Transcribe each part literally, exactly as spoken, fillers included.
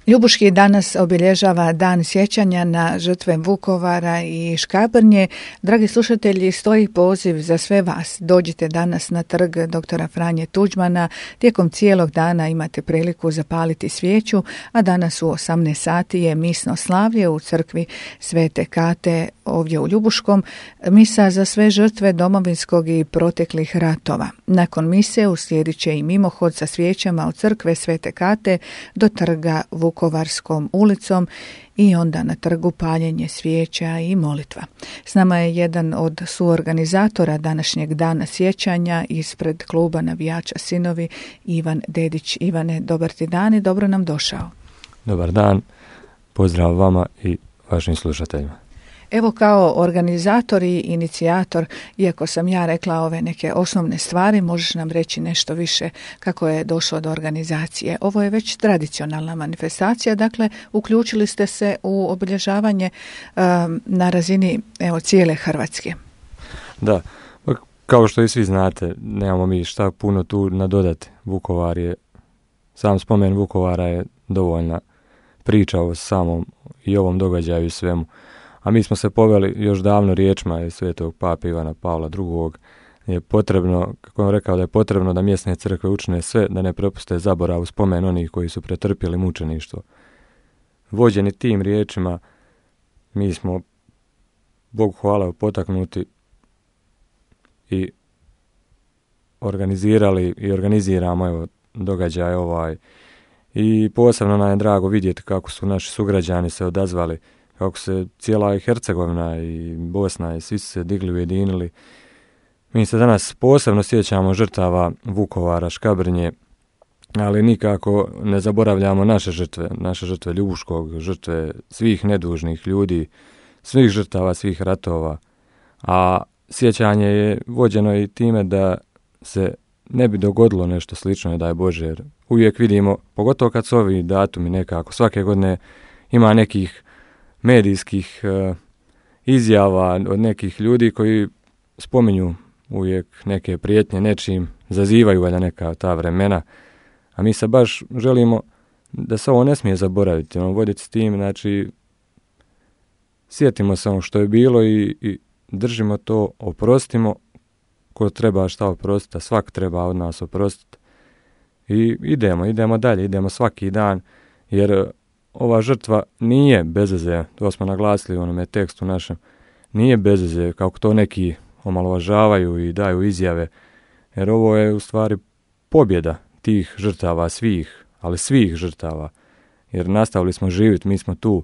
Ljubuški danas obilježava dan sjećanja na žrtve Vukovara i Škabrnje. Dragi slušatelji, stoji poziv za sve vas. Dođite danas na trg doktora Franje Tuđmana. Tijekom cijelog dana imate priliku zapaliti svijeću, a danas u osamnaest sati je misno slavlje u crkvi Svete Kate ovdje u Ljubuškom. Misa za sve žrtve domovinskog i proteklih ratova. Nakon mise uslijedit će i mimohod sa svijećama od crkve Svete Kate do trga Vukovarskom ulicom i onda na trgu paljenje svijeća i molitva. S nama je jedan od suorganizatora današnjeg dana sjećanja ispred kluba navijača Sinovi, Ivan Dedić. Ivane, dobar ti dan i dobro nam došao. Dobar dan, pozdrav vama i vašim slušateljima. Evo, kao organizator i inicijator, iako sam ja rekla ove neke osnovne stvari, možeš nam reći nešto više kako je došlo do organizacije. Ovo je već tradicionalna manifestacija, dakle uključili ste se u obilježavanje um, na razini evo, cijele Hrvatske. Da, kao što i svi znate, nemamo mi šta puno tu nadodati. Vukovar je, sam spomen Vukovara je dovoljna priča o samom i ovom događaju i svemu. A mi smo se poveli još davno riječima svetog pape Ivana Pavla drugog. Je potrebno, kako je rekao, da je potrebno da mjesne crkve učine sve da ne prepuste zaborav u spomen onih koji su pretrpjeli mučeništvo. Vođeni tim riječima, mi smo, Bogu hvala, potaknuti i organizirali i organiziramo evo, događaj ovaj. I posebno nam je drago vidjeti kako su naši sugrađani se odazvali, kako se cijela i Hercegovina i Bosna i svi su se digli, ujedinili. Mi se danas posebno sjećamo žrtava Vukovara, Škabrnje, ali nikako ne zaboravljamo naše žrtve, naše žrtve Ljubuškog, žrtve svih nedužnih ljudi, svih žrtava, svih ratova. A sjećanje je vođeno i time da se ne bi dogodilo nešto slično, daj Bože, jer uvijek vidimo, pogotovo kad su ovi datumi nekako, svake godine ima nekih medijskih uh, izjava od nekih ljudi koji spominju uvijek neke prijetnje nečim, zazivaju valjda neka ta vremena, a mi se baš želimo da se ovo ne smije zaboraviti, ono, voditi s tim, znači sjetimo se ono što je bilo i, i držimo to, oprostimo, ko treba šta oprostiti, a svak treba od nas oprostiti i idemo, idemo dalje, idemo svaki dan, jer ova žrtva nije bezveze, to smo naglasili u onome tekstu našem, nije bezveze, kako to neki omalovažavaju i daju izjave, jer ovo je u stvari pobjeda tih žrtava svih, ali svih žrtava, jer nastavili smo živjeti, mi smo tu.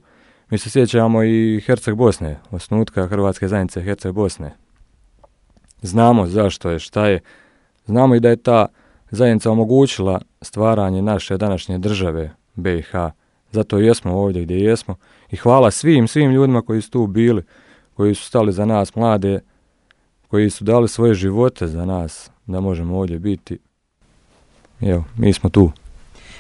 Mi se sjećamo i Herceg Bosne, osnutka Hrvatske zajednice Herceg Bosne. Znamo zašto je, šta je, znamo i da je ta zajednica omogućila stvaranje naše današnje države B i H. Zato jesmo ovdje gdje jesmo i hvala svim, svim ljudima koji su tu bili, koji su stali za nas mlade, koji su dali svoje živote za nas da možemo ovdje biti. Evo, mi smo tu.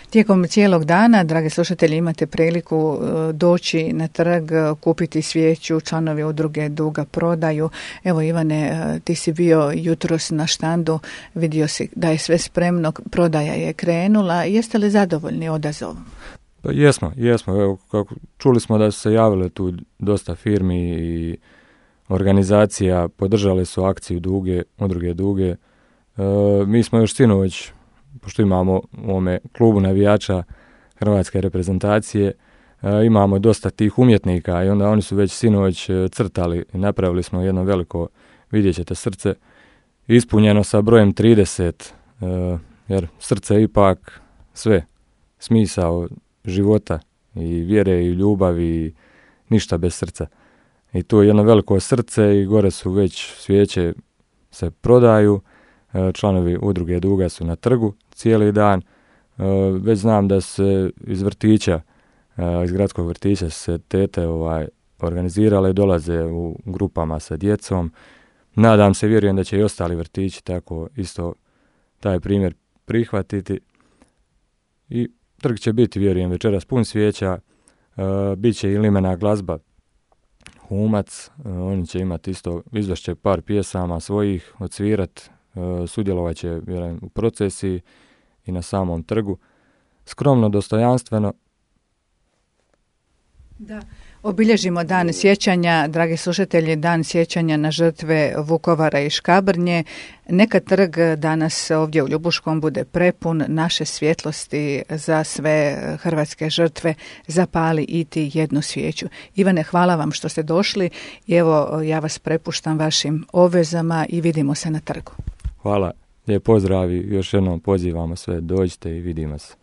Tijekom cijelog dana, dragi slušatelji, imate priliku doći na trg, kupiti svijeću, članovi udruge Duga prodaju. Evo Ivane, ti si bio jutros na štandu, vidio si da je sve spremno, prodaja je krenula. Jeste li zadovoljni odazovom? Pa jesmo, jesmo. Evo, kako, čuli smo da su se javile tu dosta firmi i organizacija, podržali su akciju Duge, udruge Duge. E, mi smo još sinoć, pošto imamo u ovome klubu navijača hrvatske reprezentacije, e, imamo dosta tih umjetnika i onda oni su već sinoć crtali i napravili smo jedno veliko, vidjet ćete, srce ispunjeno sa brojem trideset, e, jer srce je ipak sve, smisao života i vjere i ljubavi i ništa bez srca. I tu je jedno veliko srce i gore su već svijeće se prodaju, članovi udruge Duga su na trgu cijeli dan. Već znam da se iz vrtića, iz gradskog vrtića se tete ovaj, organizirale i dolaze u grupama sa djecom. Nadam se, vjerujem da će i ostali vrtići tako isto taj primjer prihvatiti. I trg će biti, vjerujem, večeras pun svijeća, uh, bit će i limena glazba, Humac, uh, oni će imati isto, izvešće par pjesama svojih, odsvirat, uh, sudjelovat će, vjerujem, u procesiji i na samom trgu. Skromno, dostojanstveno, Da. Obilježimo dan sjećanja, dragi slušatelji, dan sjećanja na žrtve Vukovara i Škabrnje. Neka trg danas ovdje u Ljubuškom bude prepun naše svjetlosti za sve hrvatske žrtve. Zapali i ti jednu svijeću. Ivane, hvala vam što ste došli i evo ja vas prepuštam vašim obvezama i vidimo se na trgu. Hvala, lijep pozdrav i još jednom pozivamo sve, dođite i vidimo se.